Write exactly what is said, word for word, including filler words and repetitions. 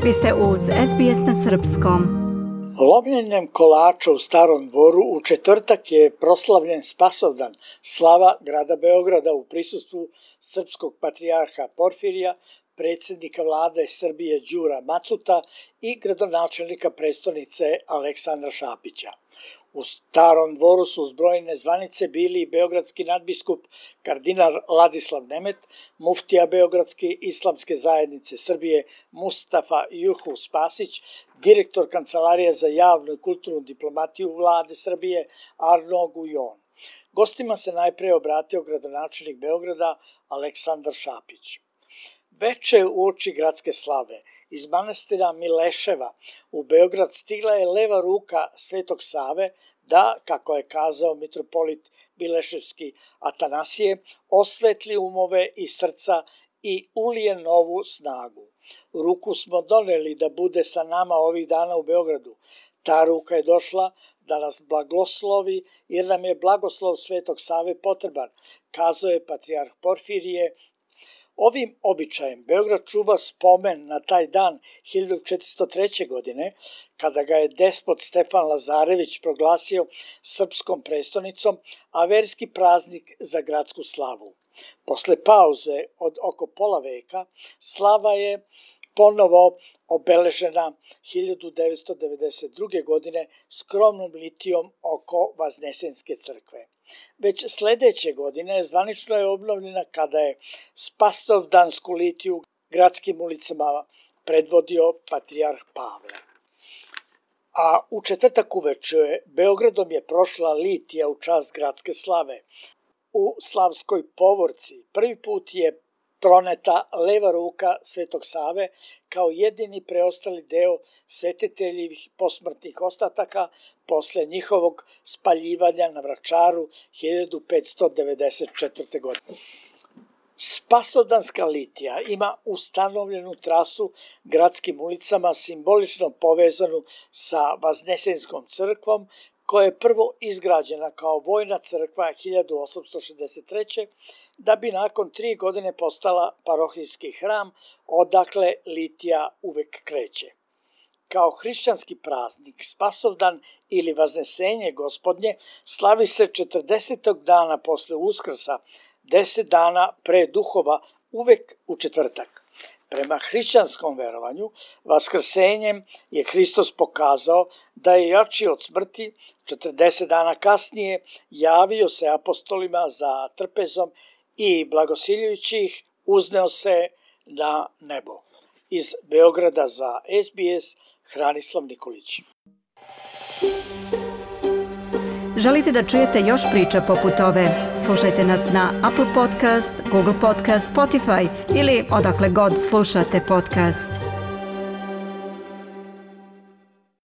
Vi ste uz S B S na srpskom. Lomljenjem kolača u Starom dvoru u četvrtak je proslavljen Spasovdan, slava grada Beograda u prisustvu srpskog patrijarha Porfirija, predsjednika vlade Srbije Đura Macuta i gradonačelnika prestonice Aleksandra Šapića. U Starom dvoru su uz brojne zvanice bili beogradski nadbiskup kardinal Ladislav Nemet, muftija Beogradske islamske zajednice Srbije Mustafa Juhu Spasić, direktor Kancelarije za javnu i kulturnu diplomatiju vlade Srbije Arno Gujon. Gostima se najpre obratio gradonačelnik Beograda Aleksandar Šapić. Veče uoči gradske slave iz manastira Mileševa u Beograd stigla je leva ruka Svetog Save da, kako je kazao mitropolit Mileševski Atanasije, osvetli umove i srca i ulije novu snagu. Ruku smo doneli da bude sa nama ovih dana u Beogradu. Ta ruka je došla da nas blagoslovi jer nam je blagoslov Svetog Save potreban, kazao je patrijarh Porfirije. Ovim običajem Beograd čuva spomen na taj dan hiljadu četiristo treće. godine, kada ga je despot Stefan Lazarević proglasio srpskom prestonicom, a verski praznik za gradsku slavu. Posle pauze od oko pola veka, slava je ponovo obeležena hiljadu devetsto devedeset druge. godine skromnom litijom oko Vaznesenske crkve. Već sledeće godine zvanično je obnovljena kada je Spasovdansku litiju gradskim ulicama predvodio patrijarh Pavle. A u četvrtak uveče Beogradom je prošla litija u čast gradske slave. U Slavskoj povorci prvi put je proneta leva ruka Svetog Save kao jedini preostali deo svetiteljivih posmrtnih ostataka posle njihovog spaljivanja na Vračaru hiljadu petsto devedeset četvrte. godine. Spasovdanska litija ima ustanovljenu trasu gradskim ulicama simbolično povezanu sa Vaznesenskom crkvom, koja je prvo izgrađena kao vojna crkva hiljadu osamsto šezdeset treće. da bi nakon tri godine postala parohijski hram, odakle litija uvek kreće. Kao hrišćanski praznik, Spasovdan ili Vaznesenje Gospodnje slavi se četrdesetog dana posle Uskrsa, deset dana pre duhova, uvek u četvrtak. Prema hrišćanskom verovanju, vaskrsenjem je Hristos pokazao da je jači od smrti. četrdeset dana kasnije javio se apostolima za trpezom i blagosiljujući ih uzneo se na nebo. Iz Beograda za S B S, Hranislav Nikolić. Želite da čujete još priča poput ove? Slušajte nas na Apple Podcast, Google Podcast, Spotify ili odakle god slušate podcast.